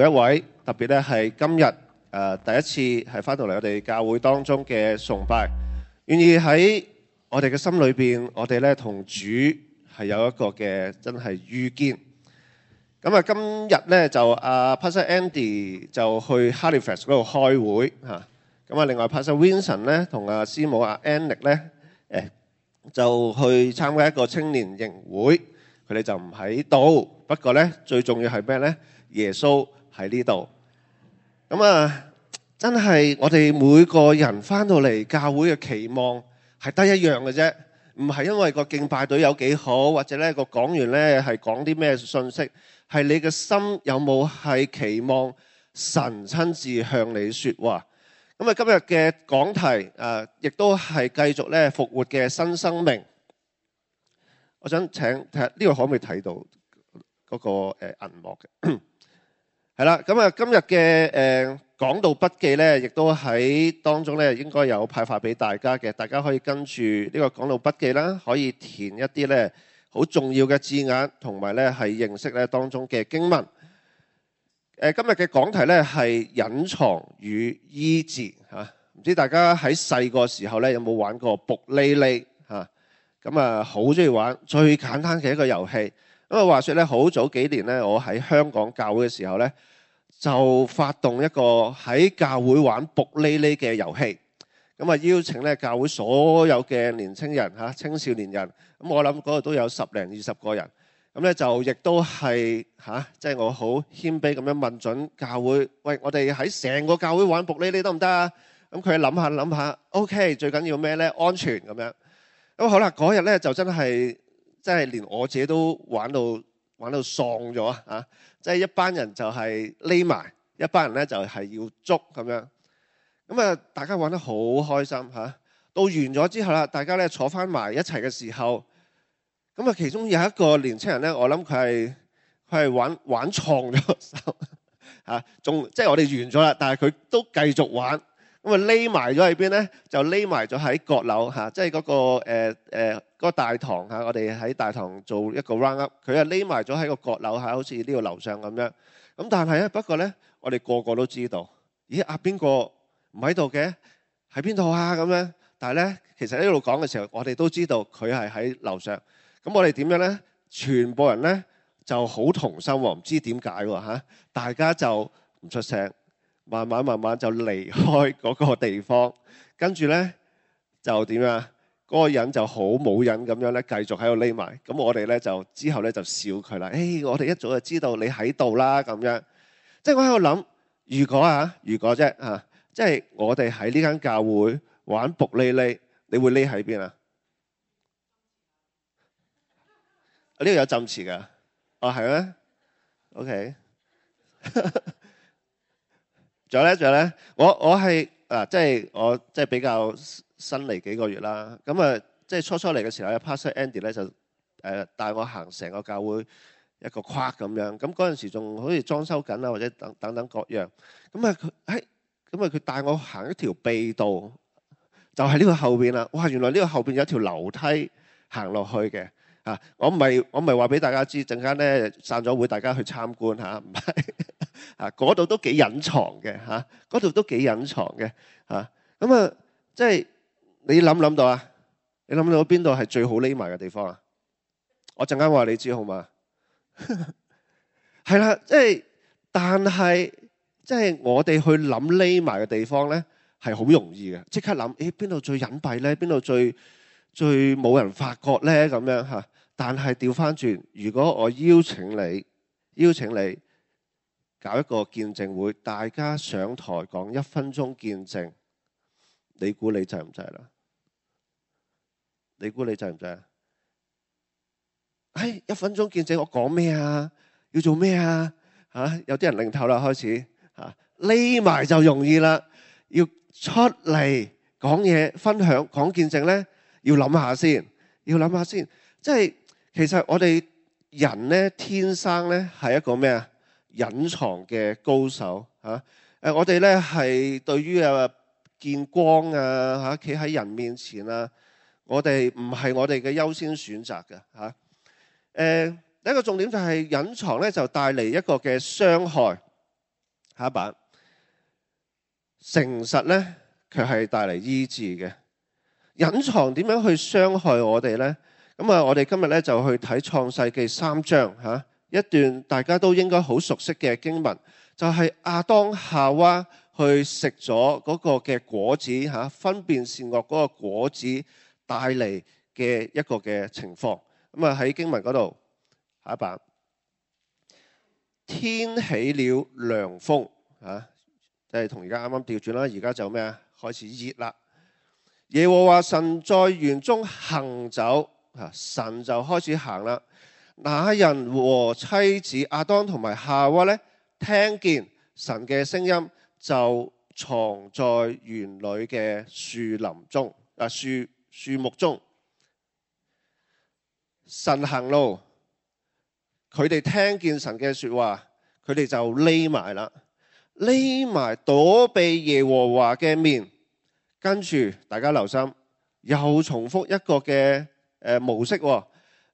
一位特別咧係今日第一次係翻到嚟我哋教會當中嘅崇拜，願意喺我哋嘅心裏邊，我哋咧同主係有一個嘅真係遇見。咁啊，今日咧就Pastor Andy 就去 Halifax 嗰度開會嚇。咁啊，另外 Pastor Vincent 咧同師母Annick 咧就去參加一個青年營會，佢哋就唔喺度。不過咧最重要係咩咧？耶穌喺呢度。咁啊，真係我哋每個人翻到嚟教會嘅期望係得一樣嘅啫，唔係因為個敬拜隊有幾好，或者咧個講員咧係講啲咩信息，係你嘅心有冇係期望神親自向你說話。咁啊，今日嘅講題亦都係繼續咧復活嘅新生命。我想請睇下呢個可唔可以睇到嗰個銀幕嘅？係啦，咁啊，今日嘅講道筆記咧，亦都喺當中咧應該有派發俾大家嘅，大家可以跟住呢個講道筆記啦，可以填一啲咧好重要嘅字眼，同埋咧係認識咧當中嘅經文。今日嘅講題咧係隱藏與醫治嚇，唔知大家喺細個時候咧有冇玩過卜哩哩嚇？咁啊好中意玩，最簡單嘅一個遊戲。咁啊話說咧，好早幾年咧，我喺香港教會嘅時候咧，就發動一個喺教會玩卜哩哩嘅遊戲。咁啊邀請咧教會所有嘅年青人嚇、青少年人，咁我諗嗰度都有10零20個人。咁咧就亦都係即係我好謙卑咁樣問準教會，喂，我哋喺成個教會玩卜哩哩得唔得啊？咁佢諗下 ，OK， 最緊要咩咧？安全咁樣。咁好啦，嗰日咧就真係連我自己都玩到喪咗啊！即係一班人就係匿埋，一班人咧就係要捉咁樣。咁啊，大家玩得好開心嚇。到完咗之後啦，大家咧坐翻埋一齊嘅時候。咁啊，其中有一個年青人咧，我諗佢係玩創咗手嚇，仲即係我哋完咗啦，但係佢都繼續玩。咁啊，匿埋咗喺邊咧？就匿埋咗喺閣樓嚇，即係嗰個大堂嚇。我哋喺大堂做一個 round up，佢啊匿埋咗喺個閣樓嚇，好似呢個樓上咁樣。咁但係咧，不過咧，我哋個個都知道，咦邊個唔喺度嘅？喺邊度啊？咁樣。但係咧，其實呢度講嘅時候，我哋都知道佢係喺樓上。咁我哋點樣咧？全部人咧就好同心喎，唔知點解喎嚇，大家就唔出聲，慢慢就離開嗰個地方，跟住咧就點啊？嗰個人就好冇癮咁樣咧，繼續喺度匿埋。咁我哋咧就之後咧就笑佢啦。我哋一早就知道你喺度啦，咁樣。即係我喺度諗，如果啫嚇，即係我哋喺呢間教會玩卜哩哩，你會匿喺邊啊？呢度有浸詞㗎，係咩 ？OK 仲有咧，我係即係我即係比較新嚟幾個月啦。咁啊，即係初嚟嘅時候咧，Pastor Andy 咧就帶我行成個教會一個框咁樣。咁嗰陣時仲好似裝修緊啊，或者等等各樣。咁啊佢帶我行一條秘道，就係呢個後邊啦。哇！原來呢個後邊有一條樓梯行落去嘅。我唔係話俾大家知，陣間咧散咗會，大家去參觀嚇，唔係嗰度都幾隱藏嘅嚇，嗰度都幾隱藏嘅嚇。咁啊，即係你諗到啊？你諗到邊度係最好匿埋嘅地方啊？我陣間話你知好嘛？係啦，但係即係我哋去諗匿埋嘅地方咧，係好容易嘅，即刻諗邊度最隱蔽咧？邊度最冇人發覺咧？咁樣嚇。但係調翻轉，如果我邀請你搞一個見證會，大家上台講1分鐘見證，你估你制唔制啦？你估你制唔制啊？1分鐘見證，我講咩啊？要做咩啊？有啲人擰頭啦，開始匿埋就容易啦。要出嚟講嘢、分享、講見證咧，要諗下先。即係其實我哋人咧天生咧係一個咩啊？隱藏嘅高手嚇。我哋咧係對於見光啊嚇，企喺人面前啊，我哋唔係我哋嘅優先選擇嘅嚇。第一個重點就係隱藏咧，就帶嚟一個嘅傷害。下一版。誠實咧，卻係帶嚟醫治嘅。隱藏點樣去傷害我哋呢？咁啊，我哋今日咧就去睇創世記3章一段大家都應該好熟悉嘅經文，就係亞當夏娃去食咗嗰個嘅果子分辨善惡嗰個果子帶嚟嘅一個嘅情況。咁啊喺經文嗰度下一版，天起了涼風即係同而家啱啱調轉啦，而家就咩啊？開始熱啦。耶和華神在園中行走，神就開始行啦。那人和妻子亞當同埋夏娃咧，聽見神嘅聲音，就藏在園裏嘅樹林中樹木中。神行路，佢哋聽見神嘅說話，佢哋就匿埋啦。匿埋躲避耶和華嘅面，跟住大家留心，又重複一個嘅模式。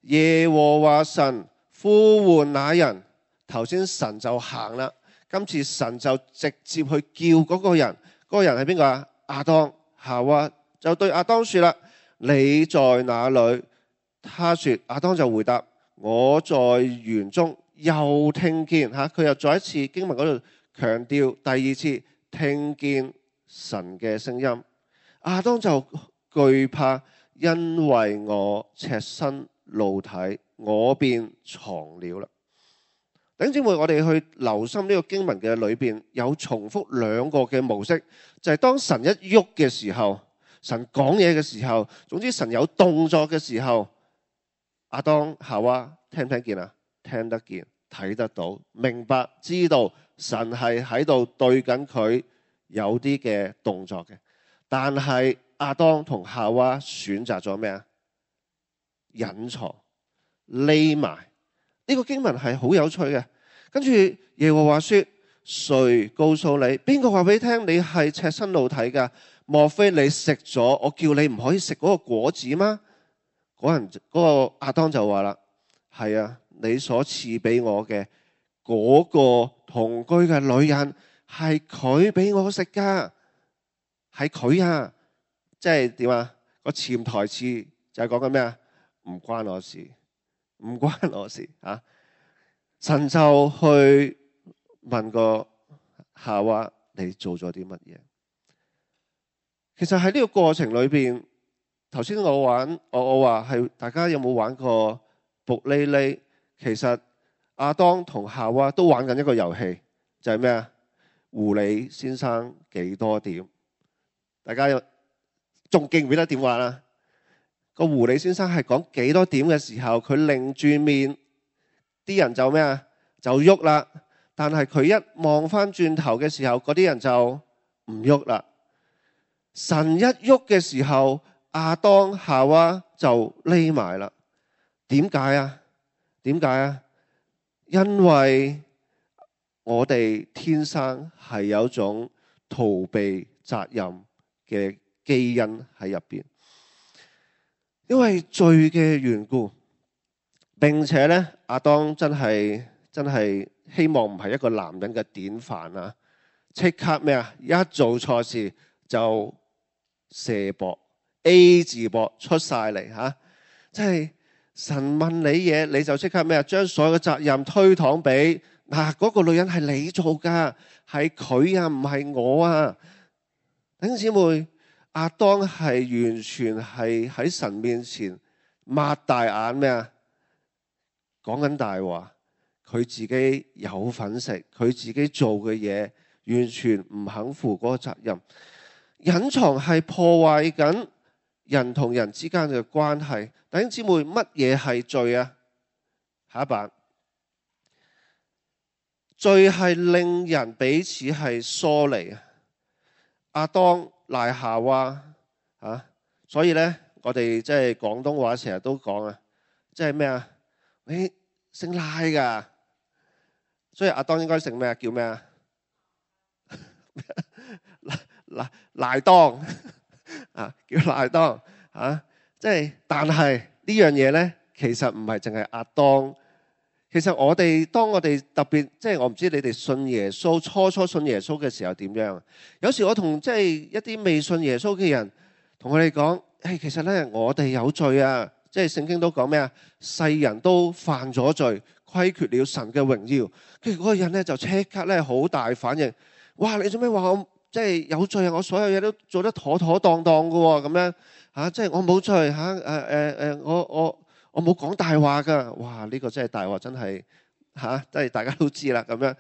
耶和華神呼喚那人，頭先神就行啦，今次神就直接去叫嗰個人，嗰個人係邊個啊？亞當。夏娃就對亞當說啦：你在哪裏？他說，亞當就回答：我在園中。又聽見佢又再一次經文嗰度強調第二次聽見神嘅聲音，亞當就懼怕，因為我赤身露體，我便藏了啦。弟兄姊妹，我哋去留心呢個經文嘅裏邊有重複兩個嘅模式，就係當神一喐嘅時候，神講嘢嘅時候，總之神有動作嘅時候，亞當夏娃聽唔聽見啊？聽得見，睇得到，明白，知道神係喺度對緊佢有啲嘅動作嘅。但係亞當同夏娃選擇咗咩啊？隱藏，匿埋。呢個經文係好有趣嘅。跟住耶和華說：誰告訴你？邊個話俾你聽你係赤身露體噶？莫非你食咗我叫你唔可以食嗰個果子嗎？嗰個亞當就話啦：係啊，你所賜俾我嘅嗰個同居嘅女人係佢俾我食噶，係佢啊！即係點啊？個潛台詞就係講緊咩啊？唔關我事，唔關我事啊！神就去問個夏娃：你做咗啲乜嘢？其實喺呢個過程裏邊，頭先我話係大家有冇玩過卜哩哩？其實亞當同夏娃都玩緊一個遊戲，就係咩啊？狐狸先生幾多點？大家仲記唔記得點玩啊？個狐狸先生係講幾多點嘅時候，佢擰住面，啲人就咩啊？就喐啦。但係佢一望翻轉頭嘅時候，嗰啲人就唔喐啦。神一喐嘅時候，亞當夏娃就匿埋啦。點解啊？點解啊？因為我哋天生係有種逃避責任嘅基因喺入邊，因為罪嘅緣故，並且咧亞當真係希望唔係一個男人嘅典範啊！即刻咩啊？一做錯事就射博 A 字博出晒嚟吓，即係神問你嘢，你就即刻咩啊？將所有嘅責任推搪俾嗰個女人係你做噶，係佢啊，唔係我啊！弟兄姊妹，亞當係完全係喺神面前擘大眼咩啊？講緊大話，佢自己有份食，佢自己做嘅嘢完全唔肯負嗰個責任。隱藏係破壞緊人同人之間嘅關係。弟兄姊妹，乜嘢係罪啊？下一版，罪係令人彼此係疏離。亞當賴夏娃所以咧，我哋即係廣東話成日都講啊，即係咩啊？你姓賴噶，所以亞當應該姓咩啊？叫咩啊？賴當叫賴當即係，但係呢樣嘢咧，其實唔係淨係亞當其實當我哋特別即係我唔知你哋信耶穌初信耶穌嘅時候點樣？有時我同即係一啲未信耶穌嘅人同佢哋講，其實咧我哋有罪啊！即係聖經都講咩啊？世人都犯咗罪，虧缺了神嘅榮耀。跟住嗰個人咧就即刻咧好大反應，哇！你做咩話我即係有罪啊？我所有嘢都做得妥妥當當㗎喎，咁樣嚇，即係我冇罪嚇，我冇講大話㗎。哇！呢個真係大話，真係嚇，即係大家都知啦咁樣。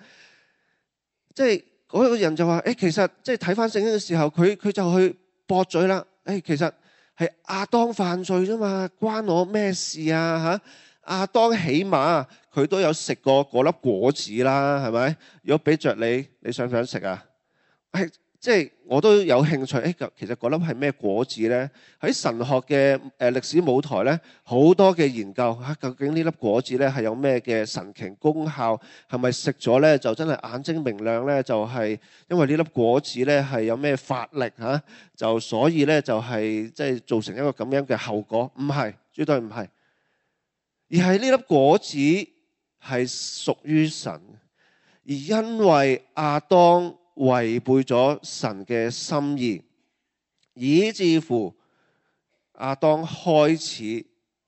即係嗰個人就話，其實即係睇翻聖經嘅時候，佢就去駁嘴啦。其實係亞當犯罪啫嘛，關我咩事啊嚇？亞當起碼佢都有食過嗰粒果子啦，係咪？如果俾着你，你想唔想食啊？即係我都有興趣。其實嗰粒係咩果子呢？喺神學嘅歷史舞台呢，好多嘅研究嚇，究竟呢粒果子呢係有咩嘅神奇功效？係咪食咗呢就真係眼睛明亮呢？就係因為呢粒果子呢係有咩法力嚇？就所以呢就係即係造成一個咁樣嘅後果？唔係，絕對唔係，而係呢粒果子係屬於神，而因為亞當違背咗神嘅心意，以至乎亞當開始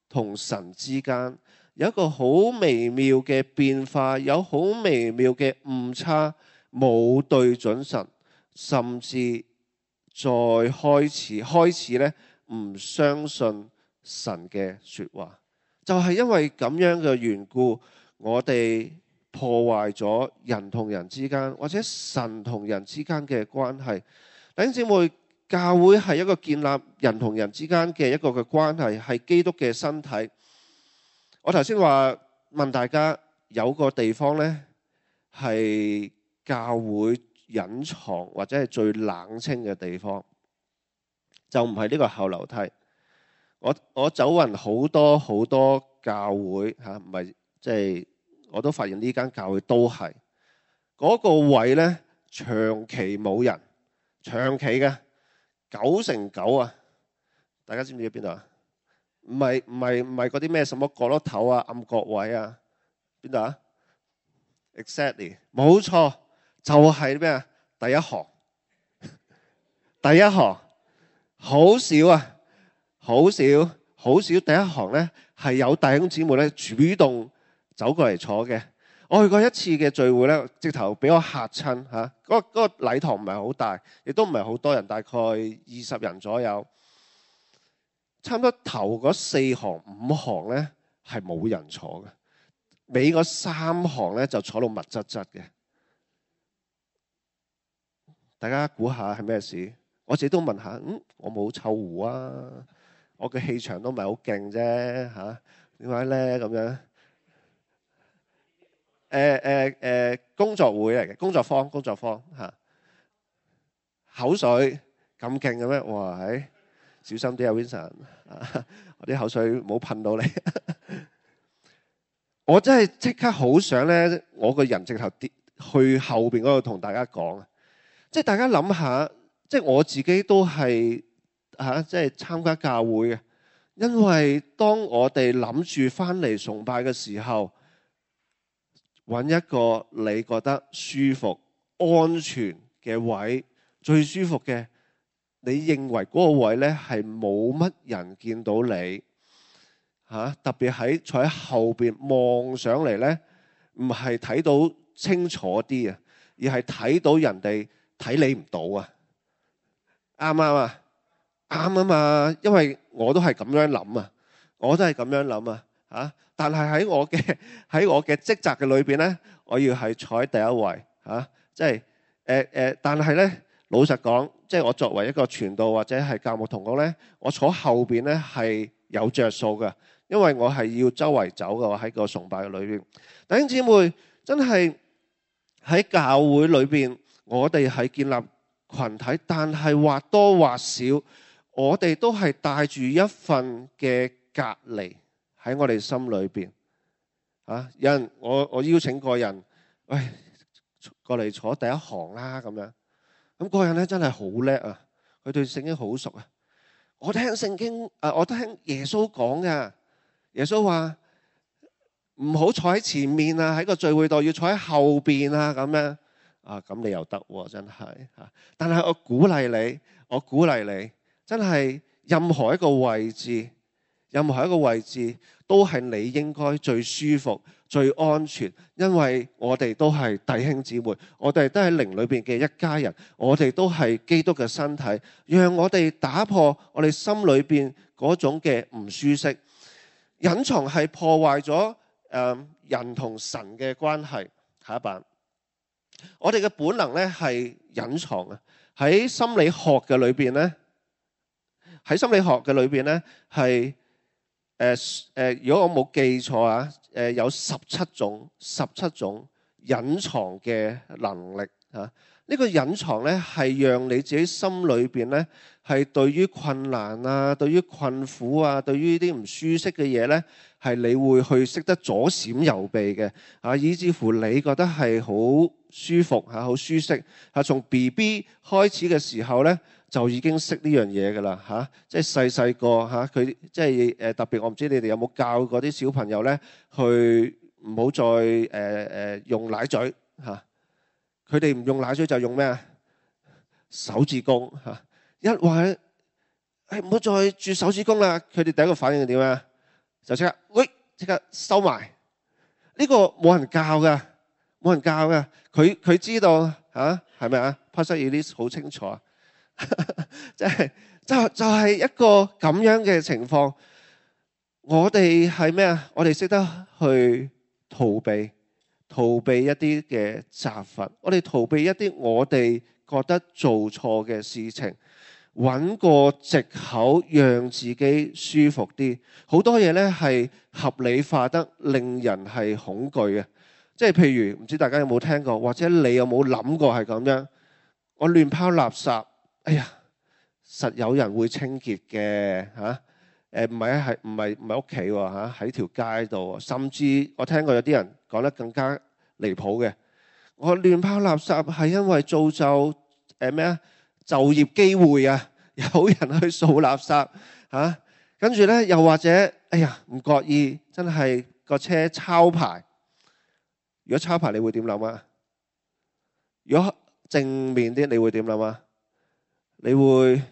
同神之間有一個好微妙嘅變化，有好微妙嘅誤差，冇對準神，甚至再開始咧唔相信神嘅說話，就係因為咁樣嘅緣故，我哋破壞咗人同人之間，或者神同人之間嘅關係。弟兄姊妹，教會係一個建立人同人之間嘅一個嘅關係，係基督嘅身體。我頭先話問大家，有個地方呢係教會隱藏或者係最冷清嘅地方，就唔係呢個後樓梯。我走勻好多教會嚇，唔係即係。我都發現呢間教會都係嗰個位呢，長期冇人，長期嘅9成9啊！大家知唔知喺邊度啊？唔係嗰啲咩什麼角落頭啊、暗角位啊？邊度啊 ？Exactly， 冇錯，就係咩啊？第一行，第一行好少啊，好少第一行呢係有弟兄姊妹呢主動走過嚟坐嘅。我去過一次嘅聚會咧，直頭俾我嚇親嚇。嗰個禮堂唔係好大，亦都唔係好多人，大概20人左右。差唔多頭嗰4行5行咧係冇人坐嘅，尾嗰3行咧就坐到密質質嘅。大家估下係咩事？我自己都問下，我冇臭狐啊，我嘅氣場都唔係好勁啫嚇，點解咧咁樣？工作會嚟嘅，工作坊嚇，口水咁勁嘅咩？哇！小心啲啊 ，Vincent， 我啲口水唔好噴到你。我真係即刻好想咧，我個人直頭跌去後邊嗰度同大家講啊！即係大家諗下，即係我自己都係即係參加教會嘅，因為當我哋諗住翻嚟崇拜嘅時候，揾一個你覺得舒服、安全嘅位，最舒服嘅，你認為嗰個位呢係冇乜人見到你特別喺坐喺後邊望上嚟呢，唔係睇到清楚啲啊，而係睇到人哋睇你唔到啊，啱唔啱啊？啱啊嘛，因為我都係咁樣諗啊，我都係咁樣諗啊。但係喺我嘅職責嘅裏邊咧，我要係坐喺第一位即係但係咧，老實講，即係我作為一個傳道或者係教牧同工咧，我坐後邊咧係有着數嘅，因為我係要周圍走嘅，我喺個崇拜嘅裏邊。弟兄姊妹，真係喺教會裏邊，我哋係建立群體，但係或多或少，我哋都係帶住一份嘅隔離喺我哋心裏邊有人我邀請過人，喂，過嚟坐第一行啦咁樣。咁嗰人咧真係好叻啊！佢對聖經好熟啊！我聽聖經我聽耶穌講嘅，耶穌話唔好坐喺前面啊，喺個聚會度要坐喺後邊啊，咁樣啊，咁你又得喎，真係嚇。但係我鼓勵你，真係任何一個位置都係你應該最舒服、最安全，因為我哋都係弟兄姊妹，我哋都係靈裏邊嘅一家人，我哋都係基督嘅身體，讓我哋打破我哋心裏邊嗰種嘅唔舒適。隱藏係破壞咗人同神嘅關係。下一版，我哋嘅本能咧係隱藏啊。喺心理學嘅裏邊咧，係如果我冇記錯啊，有17種隱藏嘅能力啊。呢個隱藏咧係讓你自己心裏邊咧係對於困難啊、對於困苦啊、對於啲唔舒適嘅嘢咧，係你會去識得左閃右避嘅啊，以至乎你覺得係好舒服嚇、好舒適嚇。從 BB 開始嘅時候咧，就已經識呢樣嘢㗎啦嚇，即係細個嚇佢即係特別，我唔知你哋有冇教嗰啲小朋友咧，去唔好再用奶嘴嚇。佢哋唔用奶嘴就用咩啊？手指公嚇。一話唔好再啜手指公啦，佢哋第一個反應係點啊？就即刻收埋。呢個冇人教㗎。佢知道嚇係咪啊？Pastor Elise 好清楚啊，就係一個咁樣嘅情況。我哋係咩啊？我哋識得去逃避一啲嘅責罰，我哋逃避一啲我哋覺得做錯嘅事情，揾個藉口讓自己舒服啲。好多嘢呢係合理化得令人係恐懼嘅，即係譬如唔知大家有冇聽過，或者你有冇諗過係咁樣？我亂拋垃圾，哎呀，實有人會清潔嘅嚇。唔係屋企喎嚇，喺條街度，甚至我聽過有啲人講得更加離譜嘅。我亂拋垃圾係因為造就就業機會啊，有人去掃垃圾嚇，跟住咧又或者哎呀唔覺意真係個車抄牌。如果抄牌你會點諗啊？如果正面啲你會點諗啊？你會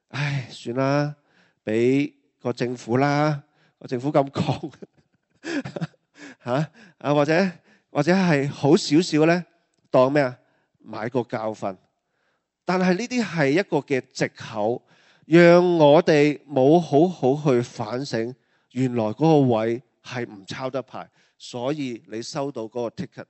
唉算啦，俾個政府啦，個政府咁講嚇啊，或者係好少少咧，當咩啊？買個教訓。但係呢啲係一個嘅藉口，讓我哋冇好好去反省，原來嗰個位係唔抄得牌，所以你收到嗰個 ticket。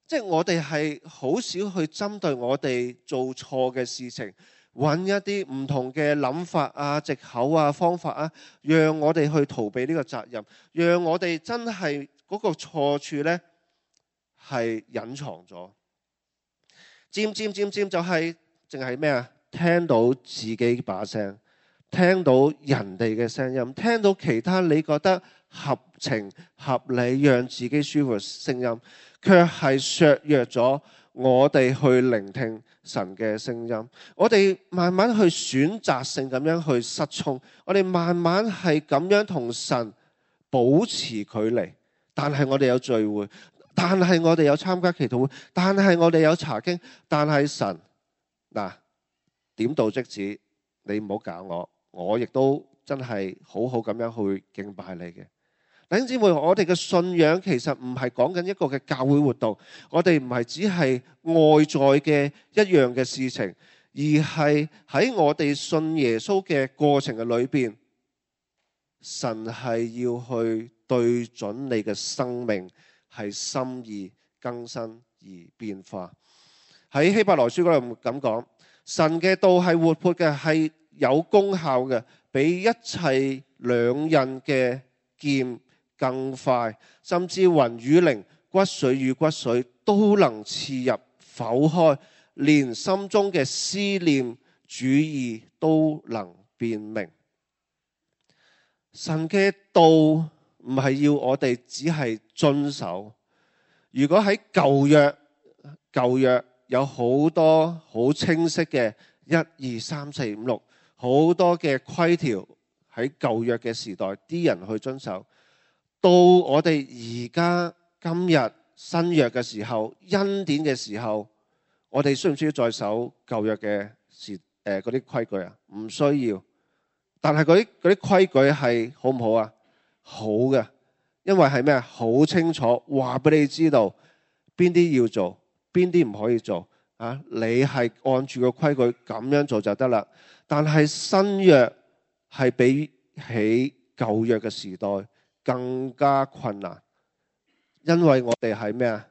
即係我哋係好少去針對我哋做錯嘅事情，揾一啲唔同嘅諗法啊、藉口啊、方法啊，讓我哋去逃避呢個責任，讓我哋真係嗰個錯處呢係隱藏咗。漸就係淨係咩啊？聽到自己把聲，聽到人哋嘅聲音，聽到其他你覺得合情合理讓自己舒服嘅聲音，卻係削弱咗我哋去聆聽神嘅聲音。我哋慢慢去選擇性咁樣去失聰，我哋慢慢係咁樣同神保持距離。但係我哋有聚會，但係我哋有參加祈禱會，但係我哋有查經，但係神嗱點到即止，你唔好搞我亦都真係好好咁樣去敬拜你嘅。弟兄姊妹，我哋嘅信仰其實唔係講緊一個嘅教會活動，我哋唔係只係外在嘅一樣嘅事情，而係喺我哋信耶穌嘅過程嘅裏邊，神係要去對準你嘅生命，係心意更新而變化。喺希伯來書嗰度咁講，神嘅道係活潑嘅，係有功效嘅，比一切兩刃嘅劍更快，甚至魂與靈、骨髓與骨髓都能刺入剖開，連心中嘅思念主意都能辨明。神嘅道唔係要我哋只係遵守。如果喺舊約有好多好清晰嘅1、2、3、4、5、6好多嘅規條，喺舊約嘅時代啲人去遵守。到我哋而家今日新約嘅時候，恩典嘅時候，我哋需唔需要再守舊約嘅嗰啲規矩啊？唔需要。但係嗰啲規矩係好唔好啊？好嘅，因為係咩啊？好清楚話俾你知道邊啲要做，邊啲唔可以做啊！你係按住個規矩咁樣做就得啦。但係新約係比起舊約嘅時代更加困難，因為我哋係咩啊？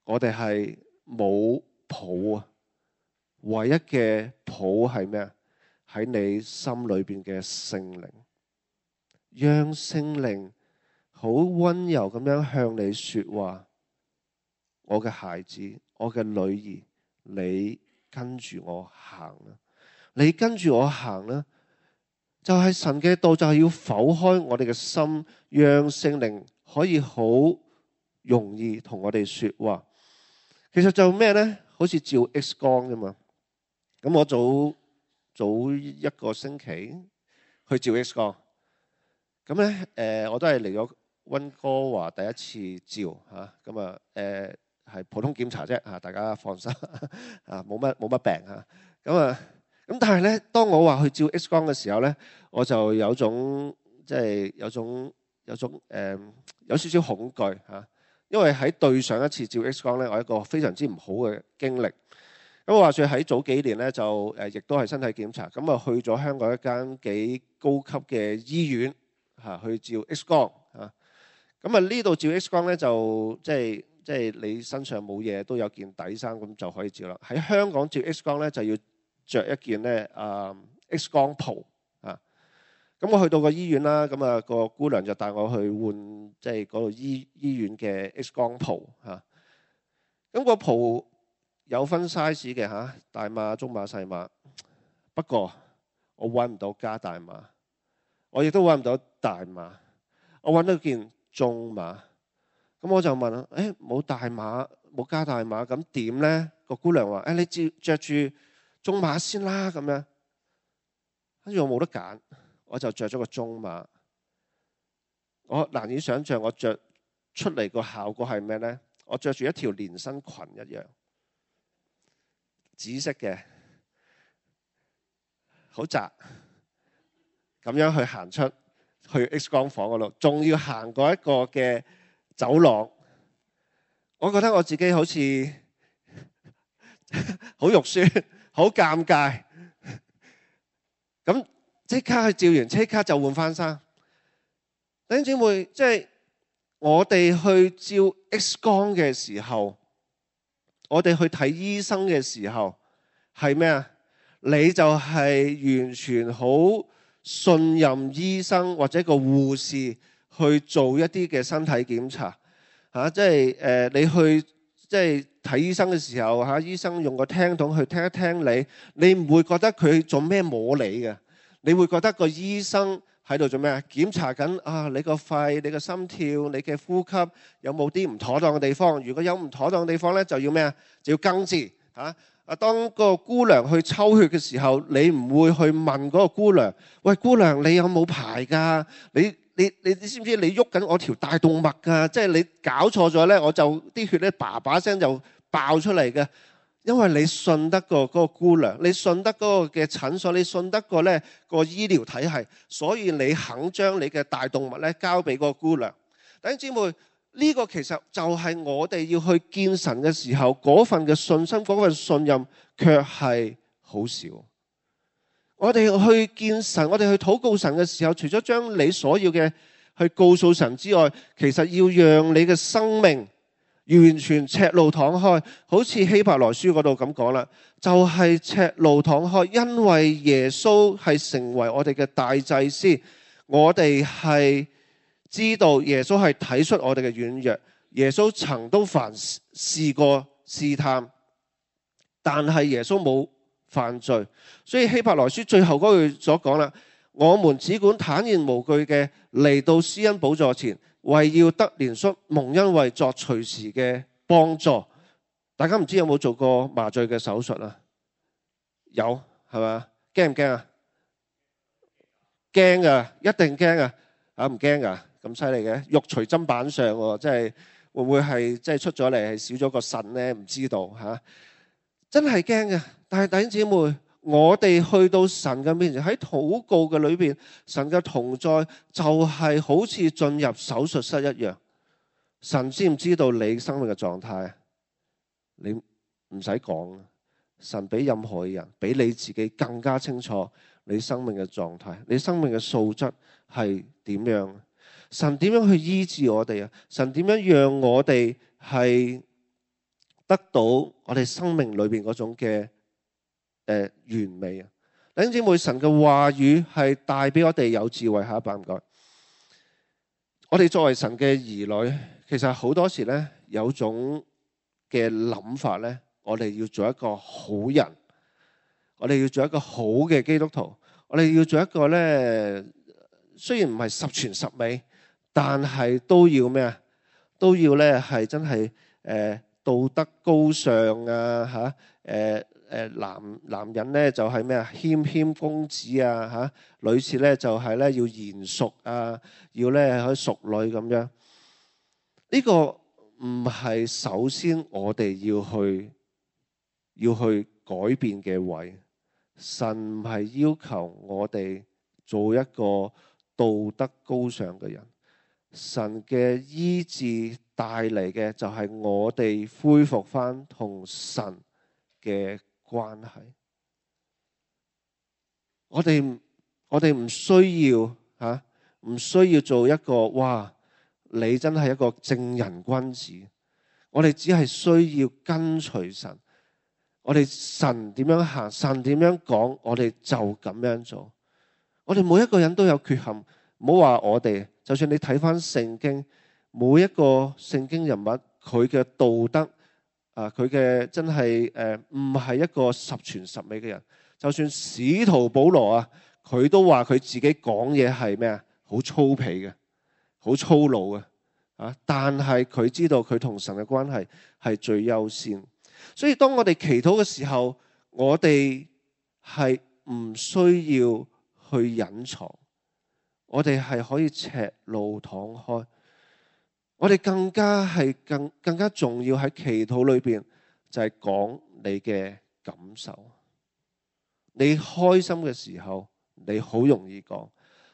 我哋係冇譜啊！唯一嘅譜係咩啊？喺你心裏邊嘅聖靈，讓聖靈好溫柔咁樣向你說話。我嘅孩子，我嘅女兒，你跟住我行啦！你跟住我行啦！就係神嘅道，就係要剖開我哋嘅心，讓聖靈可以好容易同我哋說話。其實就咩呢？好似照 X 光啫嘛。咁我早一個星期去照 X 光，咁咧我都係嚟咗溫哥華第一次照嚇，咁係普通檢查啫嚇，大家放心啊，冇乜病嚇。咁但係咧，當我話去照 X 光嘅時候咧，我就有種即係有少少恐懼嚇，因為喺對上一次照 X 光咧，我有一個非常之唔好嘅經歷。咁我話說喺早幾年咧，就亦都係身體檢查，咁啊去咗香港一間幾高級嘅醫院嚇去照 X 光嚇。咁啊呢度照 X 光咧就即係你身上冇嘢都有件底衫咁就可以照啦。喺香港照 X 光咧就要着一件咧X 光袍啊。咁我去到個醫院啦，咁啊個姑娘就帶我去換即係嗰度醫院嘅 X 光袍嚇。咁個袍有分 size 嘅嚇，大碼、中碼、細碼。不過我揾唔到加大碼，我亦都揾唔到大碼。我揾到件中碼。咁我就問啦，冇大碼，冇加大碼，咁點咧？個姑娘話：你着住中碼先啦，咁樣。跟住我冇得揀，我就着咗個中碼。我難以想像我着出嚟個效果係咩咧？我着住一條連身裙一樣。紫色嘅，好窄，咁樣去行出去 X 光房嗰度，仲要行過一個嘅走廊。我覺得我自己好似好肉酸，好尷尬。咁即刻去照完，即刻就換翻衫。弟兄姊妹，即係我哋去照 X 光嘅時候，我哋去睇醫生嘅時候係咩啊？你就係完全好信任醫生或者個護士去做一啲嘅身體檢查嚇，即係你去即係睇醫生嘅時候嚇，醫生用個聽筒去聽一聽你，你唔會覺得佢做咩摸你嘅，你會覺得個醫生喺度做咩啊？檢查緊啊！你個肺、你個心跳、你嘅呼吸有冇啲唔妥當嘅地方？如果有唔妥當嘅地方咧，就要咩啊？就要根治嚇。當個姑娘去抽血嘅時候，你唔會去問嗰個姑娘：喂，姑娘，你有冇排㗎？你知唔知你喐緊我條大動脈㗎？即係你搞錯咗咧，我就啲血咧叭叭聲就爆出嚟嘅。因為你信得過嗰個姑娘，你信得嗰個嘅診所，你信得過咧個醫療體系，所以你肯將你嘅大動脈咧交俾嗰個姑娘。弟兄姊妹，呢個其實就係我哋要去見神嘅時候嗰份嘅信心、嗰份信任，卻係好少。我哋去見神，我哋去禱告神嘅時候，除咗將你所要嘅去告訴神之外，其實要讓你嘅生命完全赤露敞開，好似希伯來書嗰度咁講啦，就係赤露敞開，因為耶穌係成為我哋嘅大祭司，我哋係知道耶穌係睇出我哋嘅軟弱，耶穌曾都凡試過試探，但係耶穌冇犯罪，所以希伯來書最後嗰句所講啦，我們只管坦然無懼嘅嚟到施恩寶座前，為要得憐恤，蒙恩惠作隨時嘅幫助。大家唔知有冇做過麻醉嘅手術啊？有，係嘛？驚唔驚啊？驚啊，一定驚啊！唔驚啊？咁犀利嘅？肉隨砧板上喎，即係會唔會係即係出咗嚟係少咗個腎咧？唔知道嚇，真係驚嘅。但係弟兄姊妹，我哋去到神嘅面前，喺禱告嘅裏邊，神嘅同在就係好似進入手術室一樣。神知唔知道你生命嘅狀態？你唔使講，神比任何人，比你自己更加清楚你生命嘅狀態，你生命嘅素質係點樣？神點樣去醫治我哋啊？神點樣讓我哋係得到我哋生命裏邊嗰種嘅完美啊？弟兄姊妹，神嘅話語係帶俾我哋有智慧。下一版唔該。我哋作為神嘅兒女，其實好多時咧有種嘅諗法咧，我哋要做一個好人，我哋要做一個好嘅基督徒，我哋要做一個咧，雖然唔係十全十美，但係都要咩啊？都要咧係真係道德高尚啊嚇！男人咧就係咩啊？謙公子啊嚇！女士咧就係咧要賢淑啊，要咧可以淑女咁樣。呢個唔係首先我哋要去改變嘅位。神唔係要求我哋做一個道德高尚嘅人。神嘅醫治帶嚟嘅就係我哋恢復翻同神嘅關係。我哋唔需要嚇，唔需要做一個哇！你真係一個正人君子。我哋只係需要跟隨神。我哋神點樣行，神點樣講，我哋就咁樣做。我哋每一個人都有缺陷，唔好話我哋。就算你睇翻聖經，每一個聖經人物，佢嘅道德佢嘅真係唔係一個十全十美嘅人。就算使徒保羅啊，佢都話佢自己講嘢係咩啊？好粗鄙嘅，好粗魯嘅啊！但係佢知道佢同神嘅關係係最優先。所以當我哋祈禱嘅時候，我哋係唔需要去隱藏，我哋係可以赤露敞開。我哋更加係更加重要喺祈禱裏邊，就係講你嘅感受。你開心嘅時候，你好容易講，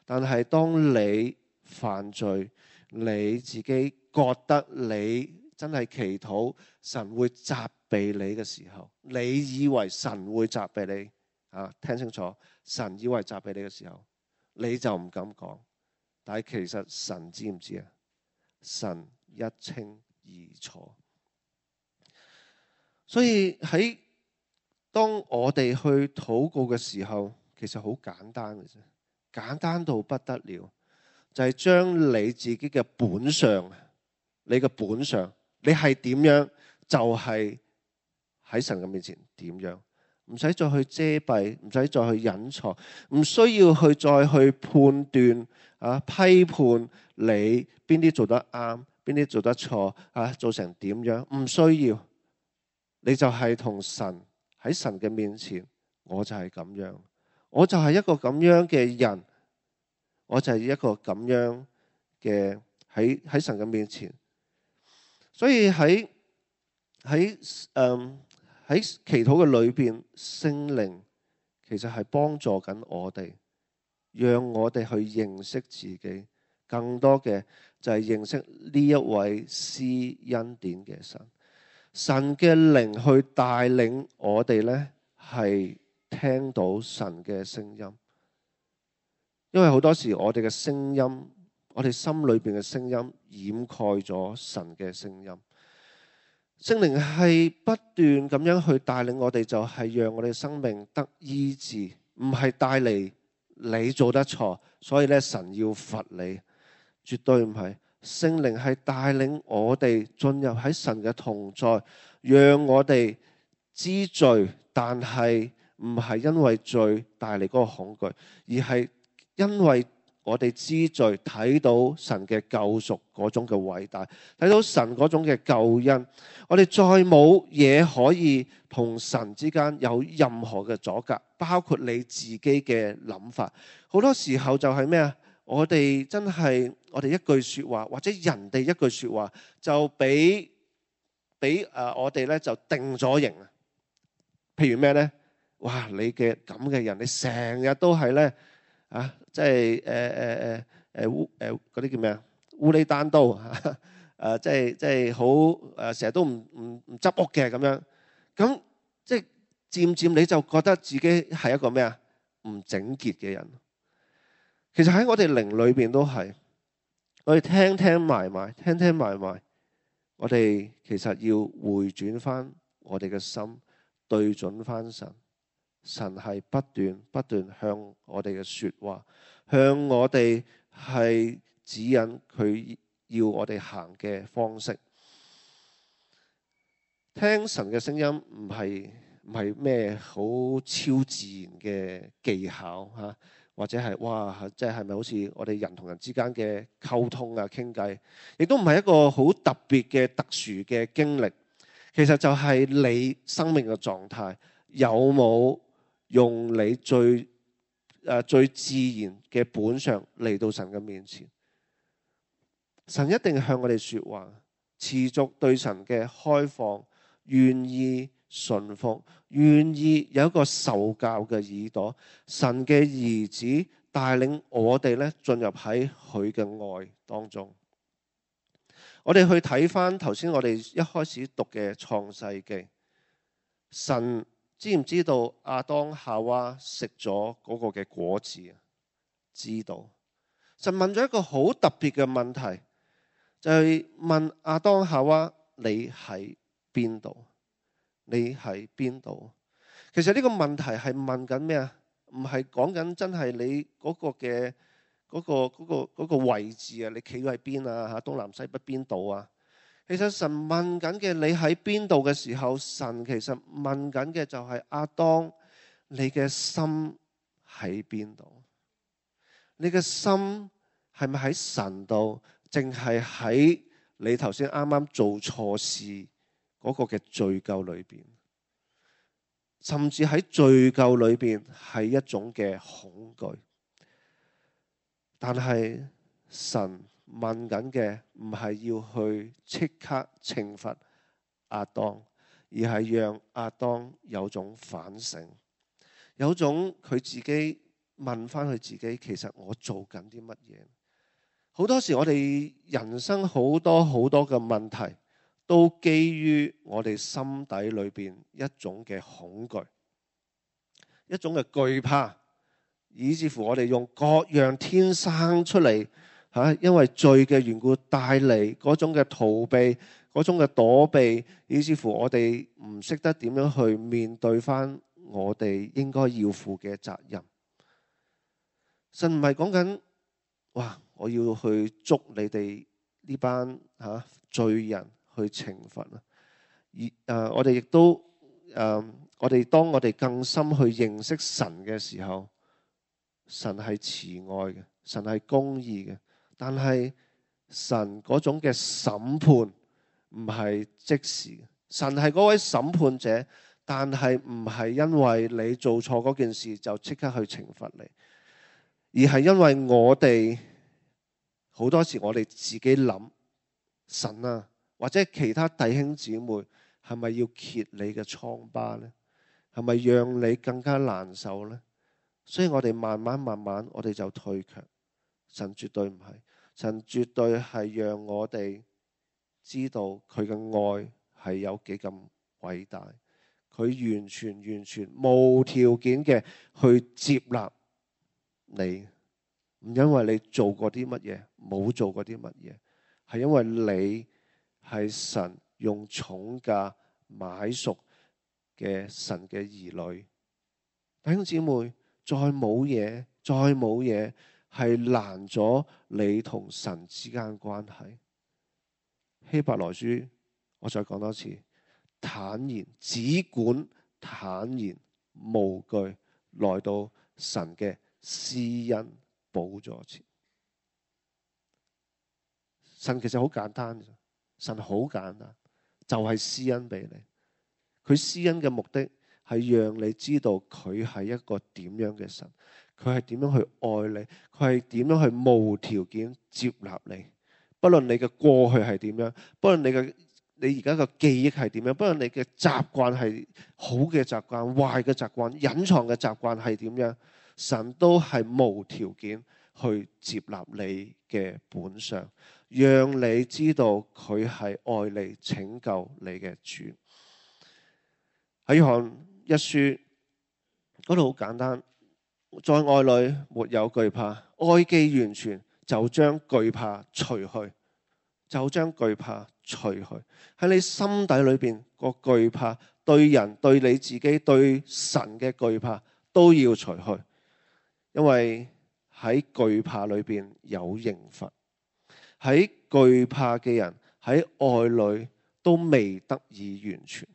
但係當你犯罪，你自己覺得你真係祈禱神會責備你嘅時候，你以為神會責備你啊？聽清楚，神以為責備你嘅時候，你就唔敢講。但係其實神知唔知啊？神一清二楚。所以喺當我哋去禱告嘅時候，其實好簡單嘅啫，簡單到不得了，就係將你自己嘅本相，你嘅本相，你係點樣，就係喺神嘅面前點樣，唔使再去遮蔽，唔使再去隱藏，唔需要去再去判斷批判你邊啲做得啱，邊啲做得錯做成點樣，唔需要。你就係同神喺神嘅面前，我就係咁樣，我就係一個咁樣嘅人，我就係一個咁樣嘅喺神嘅面前。所以喺祈禱嘅裏邊，聖靈其實係幫助緊我哋，讓我哋去認識自己，更多嘅就係認識呢一位施恩典嘅神。神嘅靈去帶領我哋呢，係聽到神嘅聲音。因為好多時我哋嘅聲音，我哋心裏邊嘅聲音掩蓋咗神嘅聲音。聖靈係不斷咁樣去帶領我哋，就係讓我哋生命得醫治，唔係帶嚟你做得錯，所以咧神要罰你，絕對唔係。聖靈係帶領我哋進入喺神嘅同在，讓我哋知罪，但係唔係因為罪帶嚟嗰個恐懼，而係因為我哋知罪，睇到神嘅救贖嗰種嘅偉大，睇到神嗰種嘅救恩，我哋再冇嘢可以同神之間有任何嘅阻隔，包括你自己嘅諗法。好多時候就係咩啊？我哋真係我哋一句說話或者人哋一句說話就俾我哋咧就定咗型啊！譬如咩咧？哇！你嘅咁嘅人，你成日都係咧啊，即係嗰啲叫咩啊？烏里單刀即係好成日都唔執屋嘅咁樣。咁即係漸漸你就覺得自己係一個咩啊？唔整潔嘅人。其實喺我哋靈裏邊都係，我哋聽埋埋，我哋其實要回轉翻我哋嘅心，對準翻神。神係不斷向我哋嘅說話，向我哋係指引佢要我哋行嘅方式。聽神嘅聲音唔係咩好超自然嘅技巧吓，或者係哇，即係咪好似我哋人同人之間嘅溝通啊、傾偈，亦都唔係一個好特別嘅特殊嘅經歷。其實就係你生命嘅狀態有冇用你最自然嘅本相嚟到神嘅面前。神一定向我哋說話，持續對神嘅開放，願意順服，願意有一個受教嘅耳朵。神嘅兒子帶領我哋咧進入喺佢嘅愛當中。我哋去睇翻頭先我哋一開始讀嘅創世記，神知唔知道亞當夏娃食咗嗰個嘅果子啊？知道。神問咗一個好特別嘅問題，就係問亞當夏娃：你喺邊度？你喺邊度？其實呢個問題係問緊咩啊？唔係講緊真係你嗰個嘅嗰個位置啊，你企喺邊啊？嚇，東南西北邊度啊？其實神問緊嘅你喺邊度嘅時候，神其實問緊嘅就係亞當，你嘅心喺邊度？你嘅心係咪喺神度，淨係喺你頭先啱啱做錯事嗰個嘅罪疚裏邊？甚至喺罪疚裏邊係一種嘅恐懼。但係神問緊嘅唔係要去即刻懲罰亞當，而係讓亞當有種反省，有種佢自己問翻佢自己，其實我做緊啲乜嘢？好多時我哋人生好多嘅問題，都基於我哋心底裏邊一種嘅恐懼，一種嘅懼怕，以至乎我哋用各樣天生出嚟因為罪嘅緣故帶嚟嗰種嘅逃避，嗰種嘅躲避，以至乎我哋唔識得點樣去面對翻我哋應該要負嘅責任。神唔係講緊哇，我要去捉你哋呢班罪人去懲罰啊！我哋亦都我哋當我哋更深去認識神嘅時候，神係慈愛嘅，神係公義嘅，但係神嗰種嘅審判唔係即時嘅。神係嗰位審判者，但係唔係因為你做錯嗰件事就即刻去懲罰你，而係因為我哋好多時我哋自己諗，神啊，或者其他弟兄姊妹係咪要揭你嘅瘡疤呢？係咪讓你更加難受呢？所以我哋慢慢我哋就退卻。神絕對唔係，神絕對係讓我哋知道佢嘅愛係有幾咁偉大，佢完全無條件嘅去接納你，唔因為你做過啲乜嘢，冇做過啲乜嘢，係因為你係神用重價買贖嘅神嘅兒女。弟兄姊妹，再冇嘢係難咗你同神之間關係。希伯來書，我再講多次，坦然，只管坦然無懼來到神嘅施恩寶座前。神其實好簡單，神好簡單，就係施恩俾你。佢施恩嘅目的係讓你知道佢係一個點樣嘅神，佢係點樣去愛你，佢係點樣去無條件接納你。不論你嘅過去係點樣，不論你而家嘅記憶係點樣，不論你嘅習慣係好嘅習慣、壞嘅習慣、隱藏嘅習慣係點樣，神都係無條件去接納你嘅本相，讓你知道佢係愛你、拯救你嘅主。喺約翰一書嗰度好簡單，在愛裏沒有懼怕，愛既完全，就將懼怕除去，就將懼怕除去。喺你心底裏邊個懼怕，對人、對你自己、對神嘅懼怕都要除去，因為喺懼怕裏邊有刑罰。喺懼怕嘅人喺愛裏都未得以完全。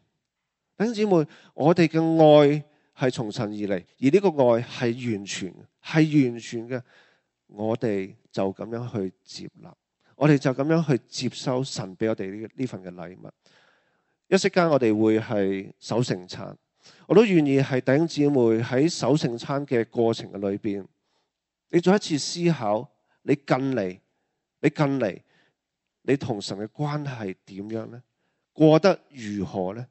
弟兄姊妹，我哋嘅愛係從神而嚟，而呢個愛係完全，係完全嘅。我哋就咁樣去接納，我哋就咁樣去接收神俾我哋呢份嘅禮物。一息間我哋會係守聖餐，我都願意係弟兄姊妹喺守聖餐嘅過程嘅裏邊，你再一次思考，你近嚟，你同神嘅關係點樣呢？過得如何呢？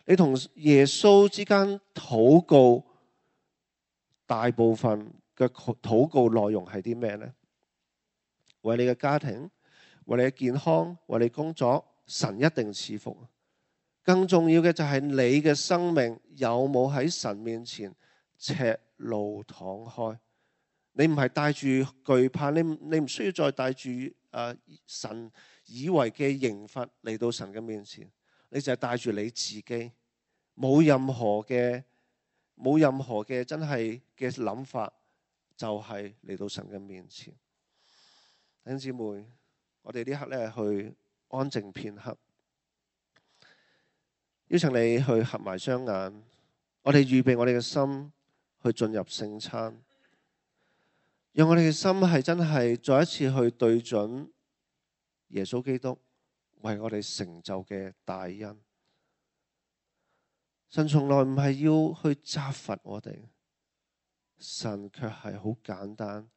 你同耶穌之間禱告，大部分嘅禱告內容係啲咩呢？為你嘅家庭，為你嘅健康，為你工作，神一定賜福。更重要嘅就係你嘅生命有冇喺神面前赤露敞開？你唔係帶住懼怕，你唔需要再帶住神以為嘅刑罰嚟到神嘅面前，你就係帶住你自己，冇任何嘅真係嘅諗法，就係嚟到神嘅面前。弟兄姊妹，我哋呢刻咧去安靜片刻，邀請你去合埋雙眼，我哋預備我哋嘅心去進入聖餐，讓我哋嘅心係真係再一次去對準耶穌基督為我哋成就嘅大恩。神從來唔係要去責罰我哋，神卻係好簡單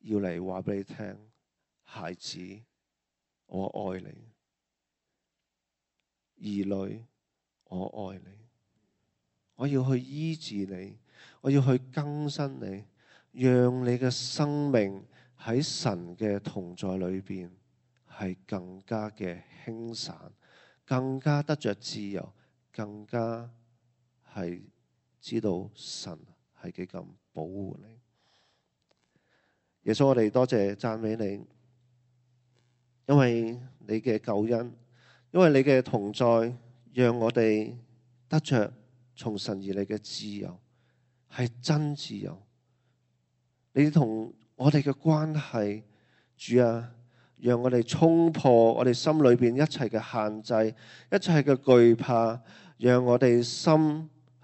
要嚟話俾你聽，孩子，我愛你，兒女，我愛你，我要去醫治你，我要去更新你，讓你嘅生命喺神嘅同在裏邊係更加嘅輕散，更加得着自由，更加係知道神係幾咁保護你。耶穌，我哋多謝讚美你，因為你嘅救恩，因為你嘅同在，讓我哋得着從神而嚟嘅自由，係真自由。你同我哋嘅關係，主啊，讓我哋衝破我哋心裏邊一切嘅限制，一切嘅懼怕，讓我哋心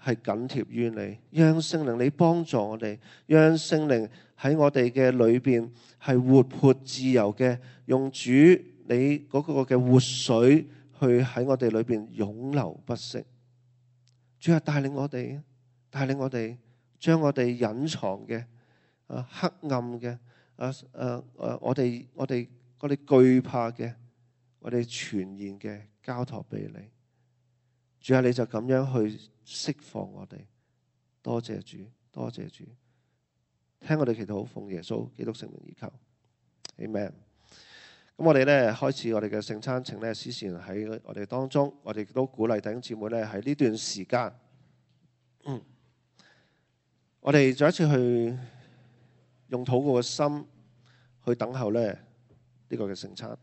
係緊貼於你，讓聖靈你幫助我哋，讓聖靈喺我哋嘅裏邊係活潑自由嘅，用主你嗰個嘅活水去喺我哋裏邊湧流不息。主啊，帶領我哋將我哋隱藏嘅黑暗嘅我哋懼怕嘅，我哋全然嘅交託俾你。主啊，你就咁樣去釋放我哋。多謝主，多謝主，聽我哋祈禱，奉耶穌基督聖名而求。Amen。咁我哋咧開始我哋嘅聖餐，請咧司事喺我哋當中，我哋都鼓勵弟兄姊妹咧喺呢段時間，我哋再一次去用禱告嘅心去等候咧呢個嘅聖餐。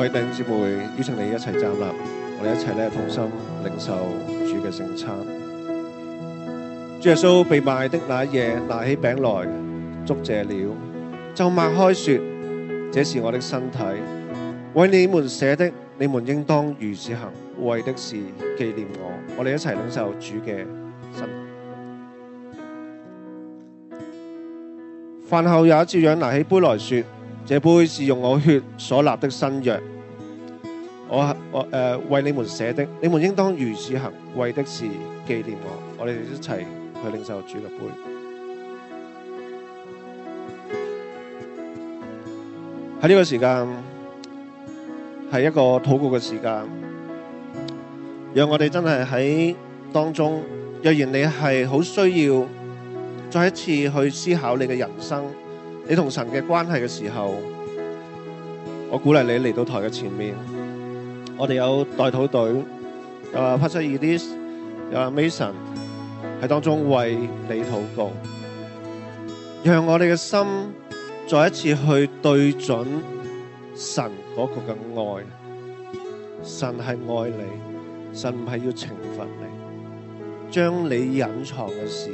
各位弟兄姊妹，邀請你一齊站立，我哋一齊咧同心領受主嘅聖餐。主耶穌被賣的那一夜，拿起餅來，祝謝了，就擘開說：這是我的身體，為你們捨的，你們應當如此行，為的是紀念我。我哋一齊領受主嘅身體。飯後也照樣拿起杯來說：這杯是用我血所立的新約，為你們捨的，你們應當如此行，為的是紀念我。我哋一齊去領受主嘅杯。喺呢個時間係一個禱告嘅時間，讓我哋真係喺當中。若然你係好需要再一次去思考你嘅人生，你同神嘅關係嘅時候，我鼓勵你嚟到台嘅前面。我哋有代禱隊，有Pastor Edith，有Mason 喺當中為你禱告，讓我哋嘅心再一次去對準神嗰個嘅愛。神係愛你，神唔係要懲罰你，將你隱藏嘅事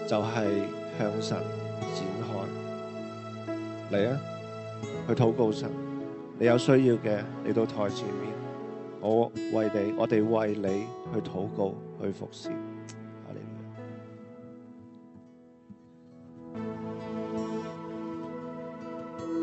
就係向神展開。嚟啊，去禱告神。你有需要嘅嚟到台前面，我哋為你去禱告，去服侍。